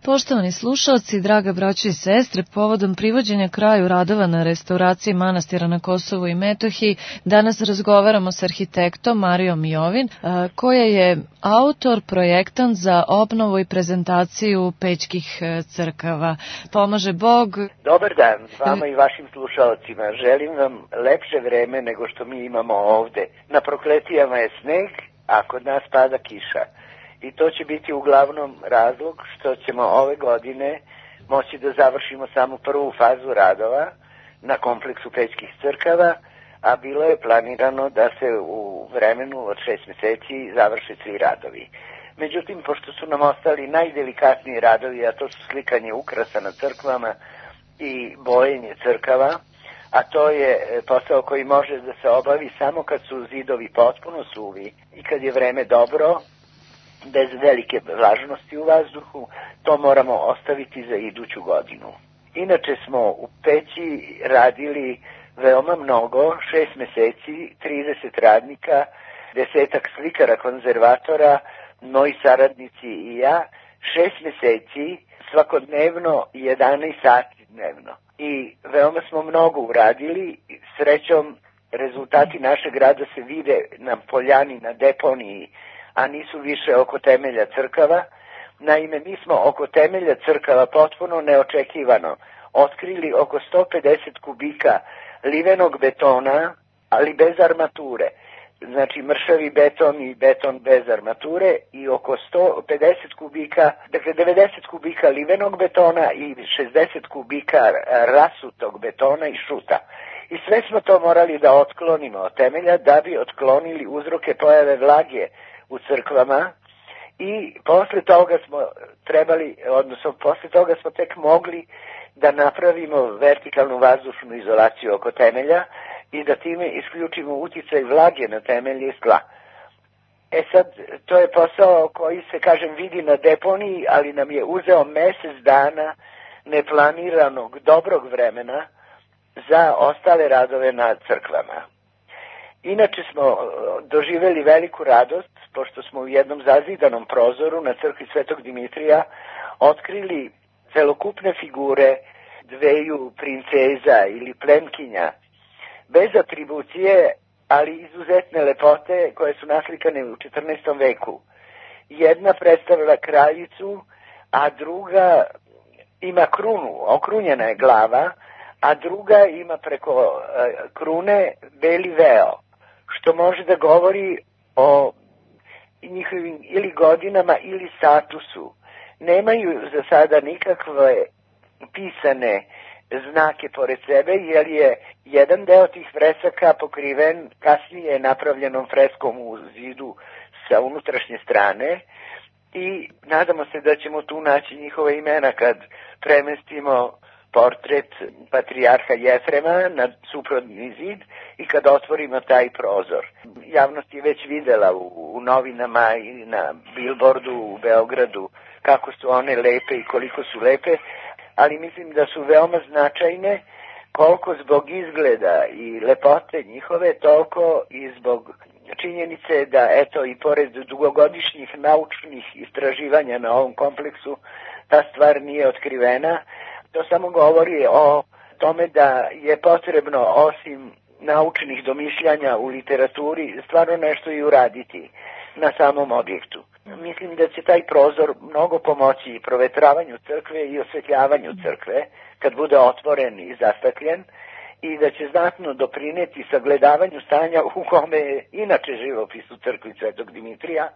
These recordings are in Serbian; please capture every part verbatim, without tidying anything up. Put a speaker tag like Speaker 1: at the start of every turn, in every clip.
Speaker 1: Poštovani slušalci, draga braćo i sestre, povodom privođenja kraju radova na restauraciji manastira na Kosovu i Metohiji, danas razgovaramo s arhitektom Marijom Jovin, koja je autor, projektant za obnovu i prezentaciju pećkih crkava. Pomaže Bog.
Speaker 2: Dobar dan vama i vašim slušalcima. Želim vam lepše vreme nego što mi imamo ovde. Na Prokletijama je sneg, a kod nas pada kiša. I to će biti uglavnom razlog što ćemo ove godine moći da završimo samo prvu fazu radova na kompleksu pećkih crkava, a bilo je planirano da se u vremenu od šest meseci završe svi radovi. Međutim, pošto su nam ostali najdelikatniji radovi, a to su slikanje ukrasa na crkvama i bojenje crkava, a to je posao koji može da se obavi samo kad su zidovi potpuno suvi i kad je vreme dobro, bez velike vlažnosti u vazduhu, to moramo ostaviti za iduću godinu. Inače smo u peći radili veoma mnogo, šest meseci, trideset radnika, desetak slikara, konzervatora, moji saradnici i ja, šest meseci, svakodnevno, jedanaest sati dnevno. I veoma smo mnogo uradili, srećom rezultati našeg rada se vide na poljani, na deponiji, a nisu više oko temelja crkava. Naime, mi smo oko temelja crkava potpuno neočekivano otkrili oko sto pedeset kubika livenog betona, ali bez armature. Znači mršavi beton i beton bez armature i oko sto pedeset kubika, dakle devedeset kubika livenog betona i šezdeset kubika rasutog betona i šuta. I sve smo to morali da otklonimo od temelja da bi otklonili uzroke pojave vlage u crkvama i posle toga smo trebali, odnosno posle toga smo tek mogli da napravimo vertikalnu vazdušnu izolaciju oko temelja i da time isključimo uticaj vlage na temelje i tla. E sad, to je posao koji se, kažem, vidi na deponiji, ali nam je uzeo mesec dana neplaniranog dobrog vremena za ostale radove na crkvama. Inače smo doživeli veliku radost, pošto smo u jednom zazidanom prozoru na crkvi Svetog Dimitrija otkrili celokupne figure dveju princeza ili plemkinja, bez atribucije, ali izuzetne lepote koje su naslikane u četrnaestom veku. Jedna predstavlja kraljicu, a druga ima krunu, okrunjena je glava, a druga ima preko krune beli veo, što može da govori o njihovim ili godinama ili statusu. Nemaju za sada nikakve pisane znake pored sebe, jer je jedan deo tih fresaka pokriven kasnije napravljenom freskom u zidu sa unutrašnje strane i nadamo se da ćemo tu naći njihove imena kad premestimo portret patrijarha Jefrema na suprotni zid i kad otvorimo taj prozor. Javnost je već videla u, u novinama i na bilbordu u Beogradu kako su one lepe i koliko su lepe, ali mislim da su veoma značajne koliko zbog izgleda i lepote njihove, toliko i zbog činjenice da, eto, i pored dugogodišnjih naučnih istraživanja na ovom kompleksu, ta stvar nije otkrivena. To samo govori o tome da je potrebno, osim naučnih domišljanja u literaturi, stvarno nešto i uraditi na samom objektu. Mislim da će taj prozor mnogo pomoći i provetravanju crkve i osvetljavanju crkve, kad bude otvoren i zastakljen, i da će znatno doprineti sagledavanju stanja u kome je inače živopis u crkvi Svetog Dimitrija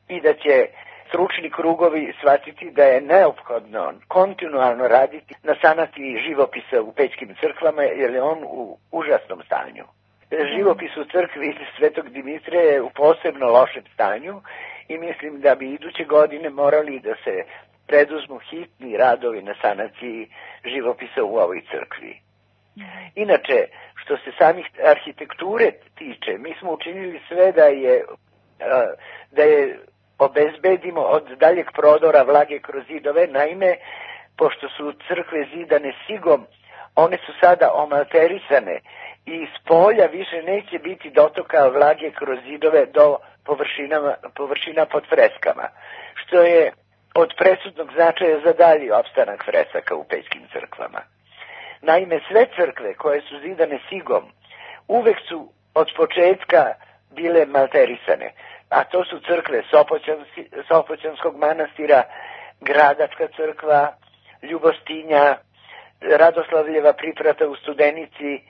Speaker 2: i da će stručni krugovi shvatiti da je neophodno kontinualno raditi na sanaciji živopisa u pećkim crkvama, jer je on u užasnom stanju. Živopis u crkvi Svetog Dimitrija je u posebno lošem stanju i mislim da bi iduće godine morali da se preduzmu hitni radovi na sanaciji živopisa u ovoj crkvi. Inače, što se samih arhitekture tiče, mi smo učinili sve da je, da je obezbedimo od daljeg prodora vlage kroz zidove. Naime, pošto su crkve zidane sigom, one su sada omalterisane i iz polja više neće biti dotoka vlage kroz zidove do površina pod freskama, što je od presudnog značaja za dalji opstanak fresaka u pećkim crkvama. Naime, sve crkve koje su zidane sigom uvek su od početka bile malterisane, a to su crkve Sopoćanskog manastira, Gradačka crkva, Ljubostinja, Radoslavljeva priprata u Studenici,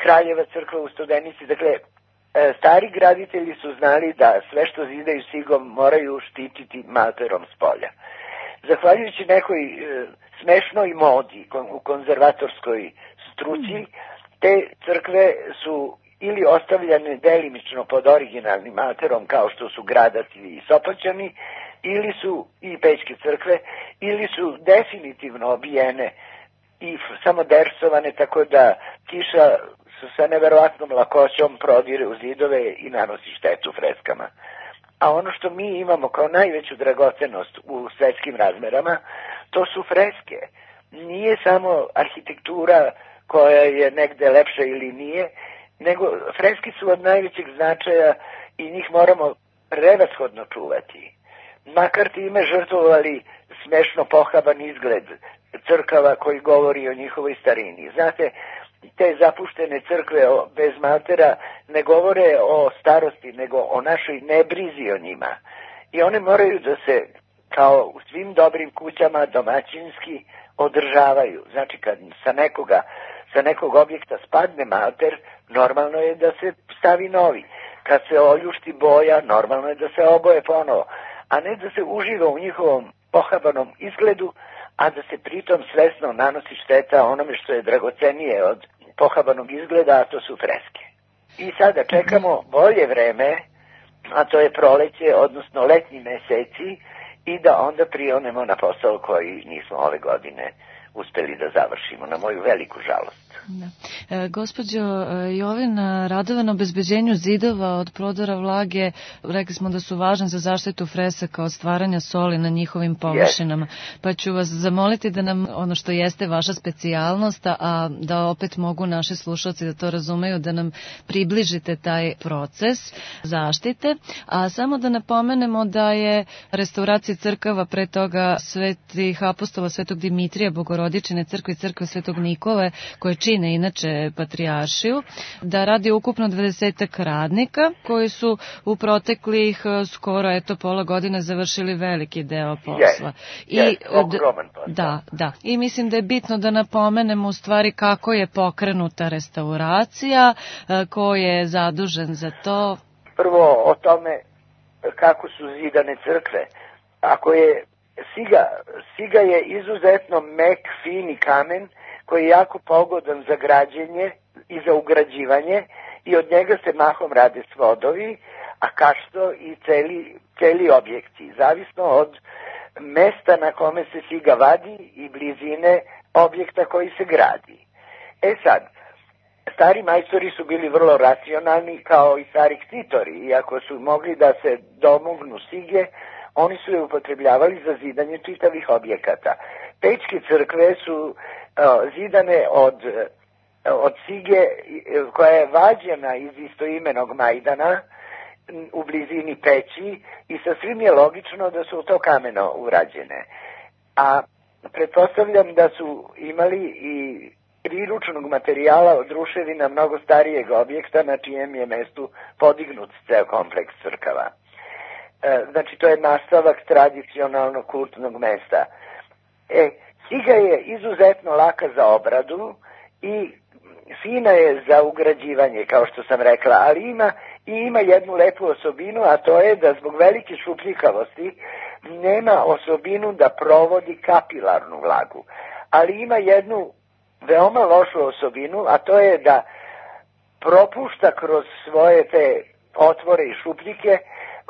Speaker 2: Kraljeva crkva u Studenici. Dakle, stari graditelji su znali da sve što zidaju sigom moraju štititi malterom s polja. Zahvaljujući nekoj e, smešnoj modi u konzervatorskoj struci, te crkve su ili ostavljane delimično pod originalnim malterom kao što su Gradac i Sopoćani, ili su i pećke crkve, ili su definitivno obijene i samo dersovane, tako da kiša sa neverovatnom lakoćom prodire u zidove i nanosi štetu freskama. A ono što mi imamo kao najveću dragocenost u svetskim razmerama, to su freske. Nije samo arhitektura koja je negde lepša ili nije, nego freske su od najvećeg značaja i njih moramo prevashodno čuvati. Makar time žrtvovali smešno pohaban izgled crkava koji govori o njihovoj starini. Znate, te zapuštene crkve bez maltera ne govore o starosti, nego o našoj nebrizi o njima. I one moraju da se, kao u svim dobrim kućama, domaćinski održavaju. Znači, kad sa nekoga, sa nekog objekta spadne malter, normalno je da se stavi novi. Kad se oljušti boja, normalno je da se oboje ponovo. A ne da se uživa u njihovom pohabanom izgledu, a da se pritom svesno nanosi šteta onome što je dragocenije od pohabanog izgleda, a to su freske. I sada čekamo bolje vreme, a to je proleće, odnosno letnji meseci, i da onda prionemo na posao koji nismo ove godine uspeli da završimo, na moju veliku žalost.
Speaker 1: Da. E, gospođo Jovin, radove na obezbeđenju zidova od prodora vlage, rekli smo da su važni za zaštitu fresaka od stvaranja soli na njihovim površinama. Yes. Pa ću vas zamoliti da nam, ono što jeste vaša specijalnost, a da opet mogu naši slušalci da to razumeju, da nam približite taj proces zaštite. A samo da napomenemo da je restauracija crkava, pre toga Svetih apostola, Svetog Dimitrija, Bogorodičine crkve i crkve Svetog Nikole, koje čine inače patrijaršiju, da radi ukupno dvadesetak radnika koji su u proteklih skoro eto pola godine završili veliki deo posla.
Speaker 2: Yes, I yes, ogroman posla.
Speaker 1: Da, da. I mislim da je bitno da napomenemo u stvari kako je pokrenuta restauracija, ko je zadužen za to.
Speaker 2: Prvo o tome kako su zidane crkve. Ako je siga, siga je izuzetno mek, fini kamen koji je jako pogodan za građenje i za ugrađivanje i od njega se mahom rade svodovi, a kašto i celi, celi objekti, zavisno od mesta na kome se siga vadi i blizine objekta koji se gradi. E sad, stari majstori su bili vrlo racionalni kao i stari ktitori, iako su mogli da se domognu sige, oni su je upotrebljavali za zidanje čitavih objekata. Pećke crkve su uh, zidane od, od sige koja je vađena iz istoimenog majdana u blizini peći i sasvim je logično da su to kameno urađene. A pretpostavljam da su imali i priručnog materijala od ruševina mnogo starijeg objekta na čijem je mestu podignut ceo kompleks crkava. Znači, to je nastavak tradicionalnog kultnog mesta. E, siga je izuzetno laka za obradu i fina je za ugrađivanje, kao što sam rekla, ali ima i ima jednu lepu osobinu, a to je da zbog velike šupljikavosti nema osobinu da provodi kapilarnu vlagu. Ali ima jednu veoma lošu osobinu, a to je da propušta kroz svoje te otvore i šupljike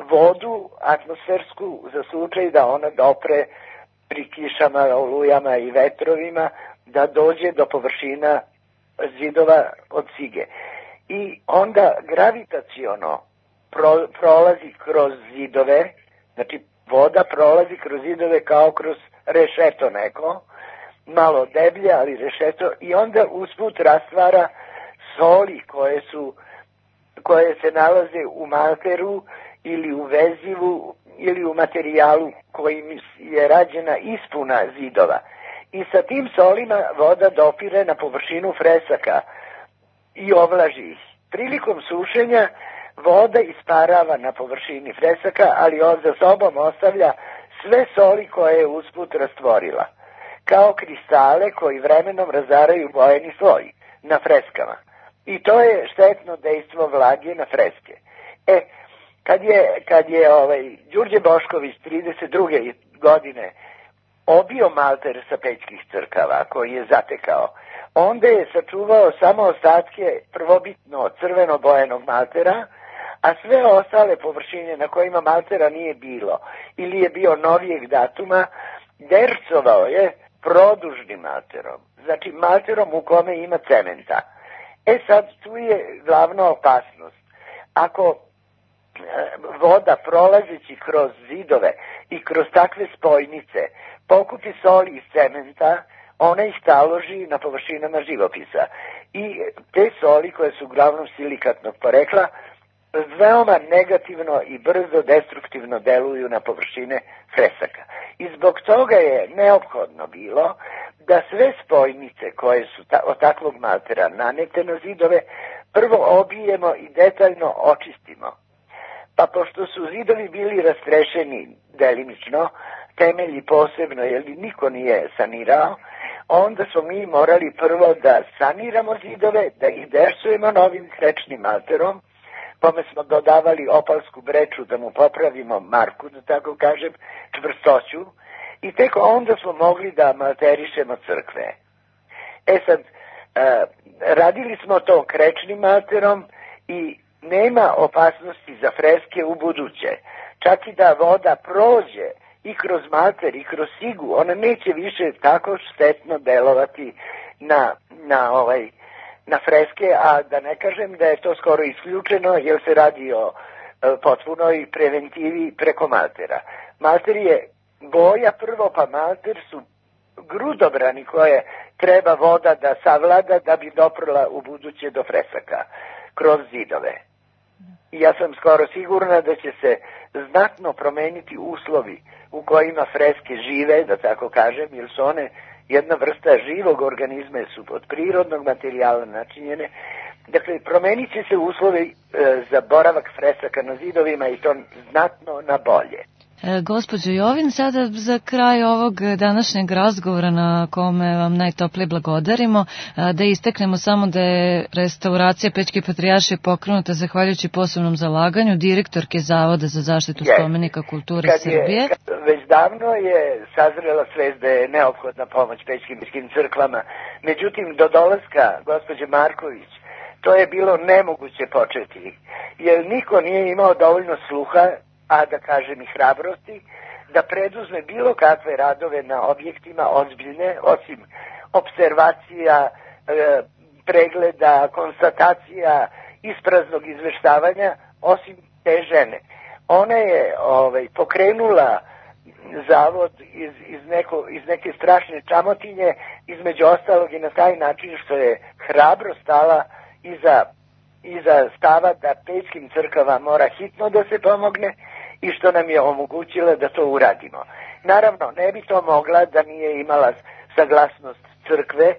Speaker 2: vodu atmosfersku za slučaj da ona dopre pri kišama, olujama i vetrovima, da dođe do površina zidova od sige. I onda gravitaciono pro, prolazi kroz zidove, znači voda prolazi kroz zidove kao kroz rešeto neko, malo deblje, ali rešeto, i onda usput rastvara soli koje su koje se nalaze u malteru ili u vezivu ili u materijalu kojim je rađena ispuna zidova. I sa tim solima voda dopire na površinu fresaka i ovlaži ih. Prilikom sušenja voda isparava na površini fresaka, ali on za sobom ostavlja sve soli koje je usput rastvorila, kao kristale koji vremenom razaraju bojeni sloj na freskama. I to je štetno dejstvo vlage na freske. E, kad je, kad je ovaj, Đurđe Bošković trideset druge godine obio malter sa pećkih crkava koji je zatekao, onda je sačuvao samo ostatke prvobitno crveno bojenog maltera, a sve ostale površine na kojima maltera nije bilo ili je bio novijeg datuma, dercovao je produžnim malterom, znači malterom u kome ima cementa. E sad, tu je glavna opasnost. Ako voda prolazeći kroz zidove i kroz takve spojnice pokupi soli iz cementa, ona ih taloži na površinama živopisa. I te soli, koje su uglavnom silikatnog porekla, veoma negativno i brzo destruktivno deluju na površine fresaka. I zbog toga je neophodno bilo da sve spojnice koje su ta, od takvog maltera nanete na zidove prvo obijemo i detaljno očistimo. Pa pošto su zidovi bili rastrešeni delimično, temelji posebno, jer niko nije sanirao, onda smo mi morali prvo da saniramo zidove, da ih dersujemo novim krečnim malterom, kome smo dodavali opalsku breču da mu popravimo marku, da tako kažem, čvrstoću, i tek onda smo mogli da malterišemo crkve. E sad, e, radili smo to krečnim malterom i nema opasnosti za freske u buduće. Čak i da voda prođe i kroz malter i kroz sigu, ona neće više tako štetno delovati na, na, ovaj, na freske, a da ne kažem da je to skoro isključeno jer se radi o e, potpunoj preventivi preko maltera. Malter je boja prvo, pa malter su grudobrani koje treba voda da savlada da bi doprla u buduće do fresaka kroz zidove. I ja sam skoro sigurna da će se znatno promeniti uslovi u kojima freske žive, da tako kažem, jer su one jedna vrsta živog organizma, su od prirodnog materijala načinjene. Dakle, promenit će se uslovi e, za boravak fresaka na zidovima i to znatno na bolje.
Speaker 1: E, gospođo Jovin, sada za kraj ovog današnjeg razgovora na kome vam najtoplije blagodarimo, da isteknemo samo da je restauracija Pećke patrijaršije pokrenuta zahvaljujući posebnom zalaganju direktorke Zavoda za zaštitu yes. spomenika kulture kad Srbije.
Speaker 2: Je, već davno je sazrela svest da je neophodna pomoć pećkim, pećkim crkvama. Međutim, do dolaska gospođe Marković to je bilo nemoguće početi, jer niko nije imao dovoljno sluha, a da kažem i hrabrosti, da preduzme bilo kakve radove na objektima ozbiljne, osim observacija, e, pregleda, konstatacija, ispraznog izveštavanja, osim te žene. Ona je ovaj, pokrenula zavod iz, iz, neko, iz neke strašne čamotinje, između ostalog i na taj način što je hrabro stala iza, iza stava da pećkim crkvama mora hitno da se pomogne i što nam je omogućila da to uradimo. Naravno, ne bi to mogla da nije imala saglasnost crkve,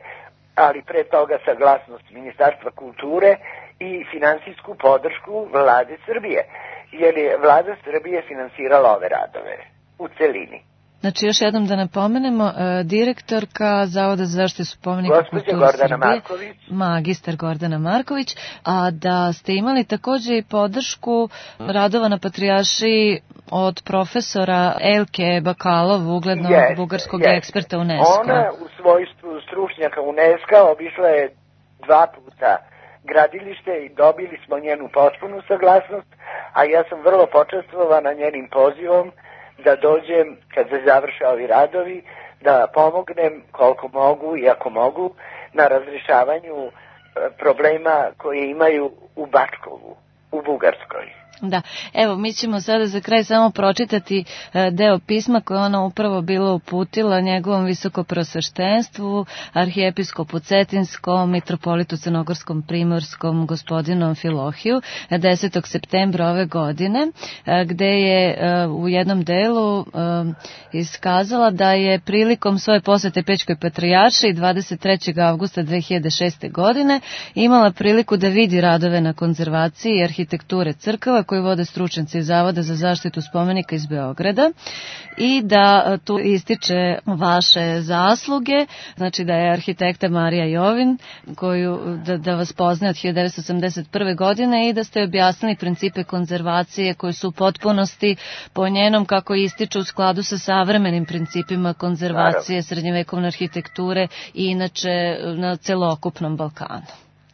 Speaker 2: ali pre toga saglasnost Ministarstva kulture i finansijsku podršku Vlade Srbije, jer je Vlada Srbije finansirala ove radove u celini.
Speaker 1: Znači, još jednom da napomenemo, direktorka Zavoda za zaštitu spomenika kulture
Speaker 2: Gordana
Speaker 1: Srbije,
Speaker 2: Marković.
Speaker 1: magistar Gordana Marković, a da ste imali takođe i podršku radova na patrijaršiji od profesora Elke Bakalov, uglednog yes, bugarskog yes. eksperta UNESCO.
Speaker 2: Ona u svojstvu stručnjaka UNESCO obišla je dva puta gradilište i dobili smo njenu potpunu saglasnost, a ja sam vrlo počastvovana njenim pozivom da dođem, kad se završe ovi radovi, da pomognem koliko mogu i ako mogu na razrešavanju problema koje imaju u Bačkovu, u Bugarskoj.
Speaker 1: Da, evo mi ćemo sada za kraj samo pročitati deo pisma koje ona upravo bilo uputila njegovom visokoprosveštenstvu, arhijepiskopu Cetinskom, mitropolitu Crnogorskom Primorskom, gospodinu Amfilohiju, desetog septembra ove godine, gde je u jednom delu iskazala da je prilikom svoje posete Pećkoj patrijaršiji dvadeset trećeg avgusta dve hiljade šeste. godine imala priliku da vidi radove na konzervaciji i arhitekture crkava koji vode stručnjaci Zavoda za zaštitu spomenika iz Beograda i da tu ističe vaše zasluge, znači da je arhitekta Marija Jovin, koju, da, da vas poznaje od hiljadu devetsto osamdeset prve. godine i da ste objasnili principe konzervacije koji su u potpunosti po njenom, kako ističu, u skladu sa savremenim principima konzervacije srednjevekovne arhitekture i inače na celokupnom Balkanu.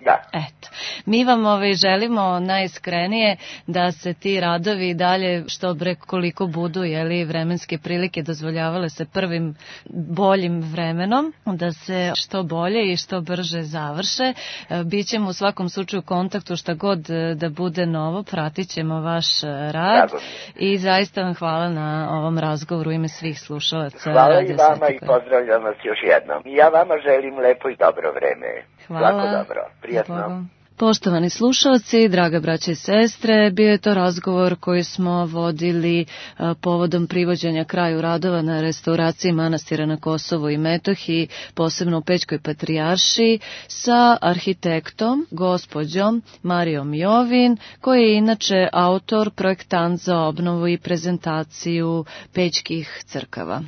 Speaker 2: Da.
Speaker 1: Eto, mi vam ovaj želimo najiskrenije da se ti radovi dalje što bre koliko budu, jeli, vremenske prilike dozvoljavale se prvim boljim vremenom, da se što bolje i što brže završe. Bićemo u svakom slučaju u kontaktu šta god da bude novo, pratit ćemo vaš rad. Drago. I zaista vam hvala na ovom razgovoru u ime svih slušalaca.
Speaker 2: Hvala i vama i pozdravljam vas još jednom. Ja vama želim lepo i dobro vreme.
Speaker 1: Hvala.
Speaker 2: Svako dobro. Prijatno.
Speaker 1: Poštovani slušalci, draga braće i sestre, bio je to razgovor koji smo vodili povodom privođenja kraju radova na restauraciji manastira na Kosovu i Metohiji, posebno u Pećkoj patrijaršiji, sa arhitektom, gospođom Marijom Jovin, koji je inače autor, projektant za obnovu i prezentaciju pećkih crkava.